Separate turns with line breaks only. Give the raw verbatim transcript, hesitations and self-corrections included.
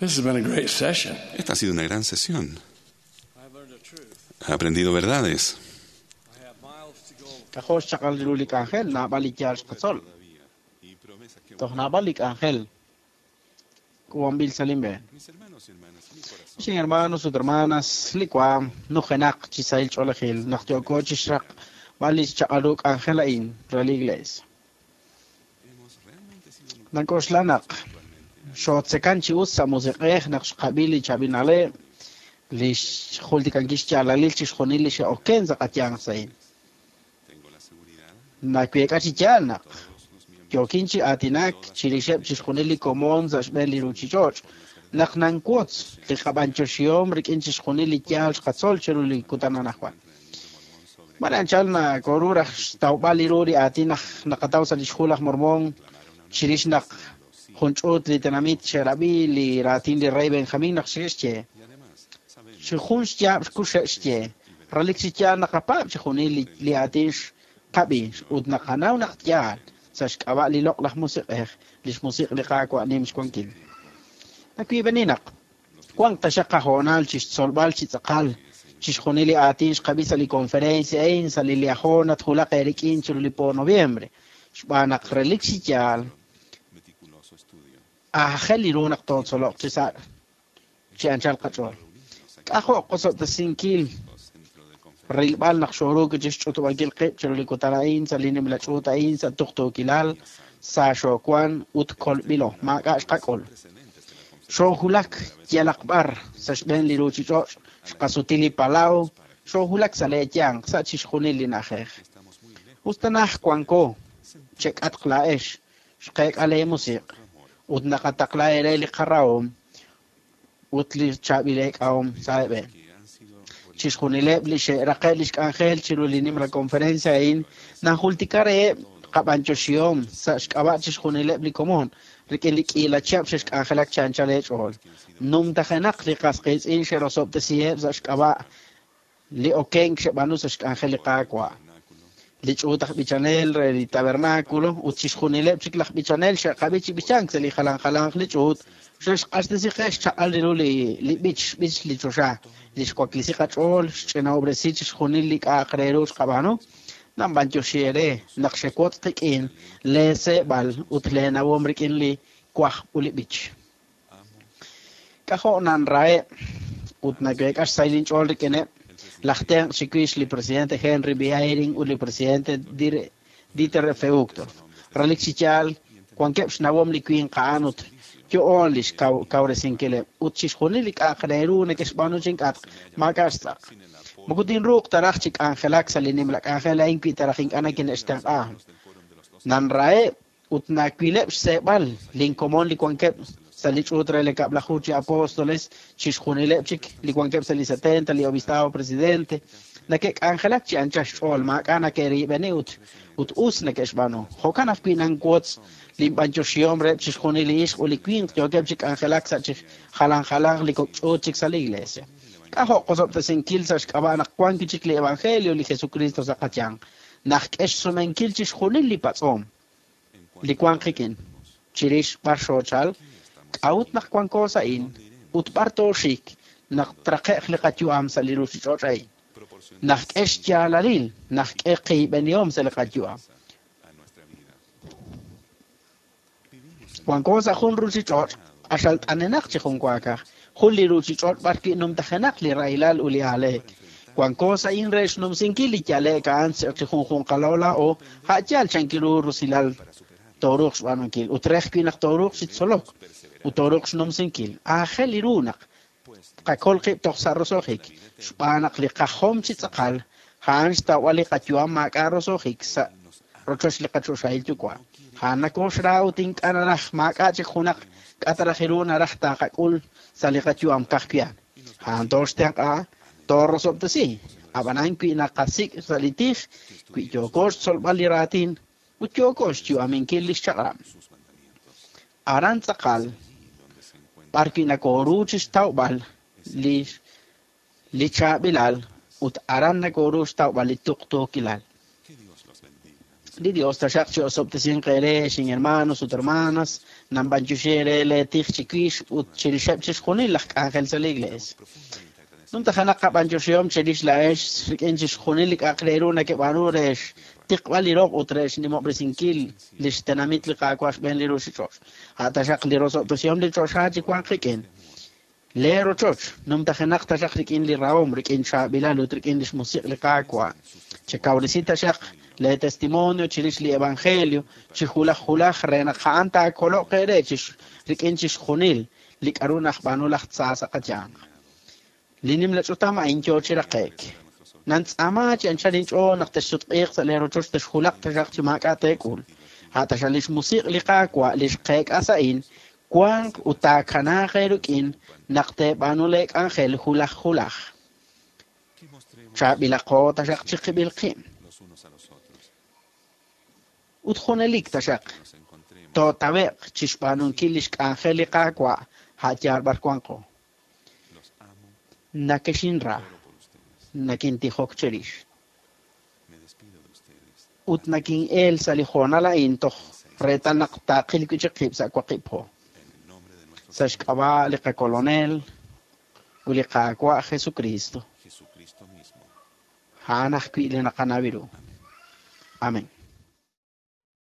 This has been a great session.
Esta ha sido una gran sesión.
I've learned a truth.
He aprendido verdades.
I have miles to go.
K'ajo' xchaqal ru li k'anjel, naab'al li yaal xqatzol. Toj naab'al li k'anjel k'uub'anb'il sa' linb'een. Xin hermanos ut hermanas, li waam nujenaq chi sahil ch'oolejil naq yooko chi xraqb'al li xchaq'al ru k'anjel a'in re li iglesia. Nank'oxla naq xootzekan chi us sa' musiq'ej naq xqab'i li chaab'il na'leb', li xjultikankil xyaalalil chixjunil li xe'oken sa' qayanq sa'in. Naweek'a chi yaal naq yookin chi aatinak chirixeb' chixjunil li komon sa' xb'een li ruuchich'och', naq nanwotz li qab'anyoxihom rik'in chixjunil li yaal xqatzol chiru li kutan anaqwan. Mare anchal nakoru raj xtawb'al li ru li aatin naq naqataw sa' li xhu laj Mormón chirix naq jun ch'uut li tenamit xe'rab'i li raatin li rey Benjamín naq xe'xye. Chi jun xyaab' xkuxe'xye, relik chi yaal naqapaab' chixjunil li, li aatin xqab'i ut naqanaw naq yaal sa' xk'ab'a' li loq'laj musiq'ej, li xmusiq' li Qaawa' nim xwankil. Nawiib'eni naq wank taxaq qahoonal chi xtzolb'al chi tz'aqal chixjunil li aatin xqab'i sa' li conferencia a'in sa' li Liahona twulaq eerik'in chiru li po noviembre, xb'aan naq relik chi yaal aajel li ru naq tootzoloq chi sa' chi anchal qach'ool. K'ajo' qosob'tesinkil rilb'al naq xooruuk chi xch'utub'ankil qib' chiru li kutan a'in sa' li nimla ch'uut a'in sa' tuqtuukilal, sa xoowan ut kolb'ilo, maak'a' xqak'ul. Xoohulak yalaq b'ar sa' xb'een li ruuchich'och', xqasuti li palaw, xoohulak sa' leeyanq sa' chixjunil li na'ajej. Us ta naj wanko chek'atq laa'ex, xqeek'a leemusiq' ut naqataqla eere li qarahom ut li chaab'il eek'ahom sa' eeb'een. Chixjunileb' li xe'raqe' li xk'anjel chiru li nimla conferencia a'in najultika reheb' qab'anyoxihom sa' xk'ab'a' chixjunileb' li komon rik'in li k'iila chihab' xe'xk'anjelak chi anchal eech'ool. Numtajenaq li qas qiitz'in xe'rosob'tesiheb' sa' xk'ab'a' li okenk xe'b'aanu sa' xk'anjel li Qaawa'. Li ch'uut aj b'ichanel re li tabernáculo ut chixjunileb' chik laj b'ichanel xe'qab'i chi b'ichank sa' li jalan jalanq li ch'uut xe'xq'axtesi qe xchaq'al ru li li b'ich b'ich li choxa, li xwaklisi qach'ool, xch'inob'resi chixjunil li k'a'aq re ru xqab'aanu. Nanb'anyoxi eere naq xewotz' qik'in leeseeb'al ut leenawom rik'in li wajb' ut li b'ich. K'ajo' nanraheb' ut naweek'a xsahil inch'ool rik'ineb' laj tenq' chiwix li presidente Henry B. Eyring ut li presidente Dieter F. Uchtdorf. Relik chi yaal wankeb' xnawom li winq a'an ut yo'oon li xkawresinkileb' ut chixjunil li k'a'aq re ru neke'xb'aanu chink'atq maak'a' xtz'aq. Moko tinruuq ta raj chi k'anjelak sa' li nimla k'anjel a'in wi ta raj ink'a' nakine'xtenq'a. Nanraheb' ut nawileb' xseeb'al linkomon li wankeb' sa' li ch'uut re li kab'laju chi apóstoles, chixjunileb' chik li wankeb' sa' li setenta, li obispado presidente, nake'k'anjelak chi anchal xch'ool, maak'a' nake'riib'eni ut ut us neke'xb'aanu. Jo'kan ajwi' nanwotz linb'anyoxihom reheb' chixjunil li ixq ut li winq yookeb' chi k'anjelak sa' chi jalan jalanq li kok' ch'uut chik sa' li iglesia. K'ajo' qosob'tesinkil sa' xk'ab'a' naq wank chik li evangelio li Jesucristo sa' qayanq, naq k'e xsumenkil chixjunil li patz'om li wank qik'in chirix b'ar xoochal, k'a'ut naq wanko sa'in ut b'ar tooxik naq traqe'q li qayu'am sa' li ruuchich'och' a'in. Naq k'e xyaalalil, naq k'e qiib'enihom sa' li qayu'am. Wanko sa' jun ruuchich'och' q'axal t'anenaq chi jun waakaj, jun li ruuchich'och' b'ar wi' numtajenaq li rahilal ut li aaleek. Wanko sa'in re xnumsinkil li yale'k a'an chi junjunqalo laa'o a' yaal chankil ru rusilal tooruuq xb'aanunkil ut re ajwi' naq tooruuq chi tzolok ut tooruuq xnumsinkil. Aajel li ru naq qakol qib' toj sa' roso'jik, xb'aan naq li qajom chi tz'aqal a'an xtawb'al li qayu'am maak'a' roso'jik sa' rochoch li qachoxahil yuwa'. A'an nakoxra ut ink'a' naraj maak'a' chik junaq k'a' ta raj ru naraj taaqak'ul sa' li qayu'am ka'ajwi' a'an. A'an tooxtenq'a, toorosob'tesi. Ab'anan wi' naqasik' sa' li tij, wi' yooko xtzolb'al li raatin ut yooko xyu'aminkil li xchaq'rab'. Aran tz'aqal b'ar wi' nakoru chi xtawb'al li li chaab'ilal ut aran nakoru xtawb'al li tuqtuukilal. Li Dios taxaq chi osob'tesinq eere xin hermanos ut hermanas, Nanb'anyoxi eere lee tij chiwix ut chirixeb' chixjunil laj k'anjel sa' li Iglees. Numtajenaq qab'anyoxihom chirix laa'ex rik'in chixjunil li k'a'aq re ru nakeb'aanu re xtiqb'al li roq ut re xnimob'resinkil lix tenamit li Qaawa' xb'een li ruuchich'och'. A' taxaq li rosob'tesihom li choxa chi wanq qik'in. Lee rochoch numtajenaq taxaq rik'in li rahom, rik'in chaab'ilal ut rik'in lix musiq' li Qaawa'. Chekawresi taxaq lee testimonio chirix li evangelio chi julaj julaj re naq a'an taakoloq eere chix rik'in chixjunil li k'a'ru najb'aanu laj tza sa' qayanq. Li nimla ch'utam a'in yoo chi raqe'k. Nantz'aama chi anchal inch'ool naq texsutq'iiq sa' lee rochoch texjulaq taxaq chi maak'a' teek'ul. A' taxaq lix musiq' li Qaawa' li xqeek'as a'in wanq ut taakanaaq eerik'in naq teeb'aanu lee k'anjel julaj julaj.
Que mostremos
Chaab'ilaqo taxaq chiqib'il qib'
los unos a los otros.
ut junelik taxaq
Nos encontremos
tootawe'q chixb'aanunkil lix k'anjel li Qaawa' a' yaal b'ar wanqo.
Los amo,
Nakexinra,
oro por ustedes.
nakintijok cherix.
Me despido de ustedes.
Ut nakin'el sa' li hoonal a'in toj reetal naq taaqil wi' chik qib' sa' waqib' po.
En el nombre de nuestro
Sa' xk'ab'a' li qakolonel ut li Qaawa' Jesucristo.
Jesucristo mismo.
A'an ajwi' li naqanaw ru. Amén.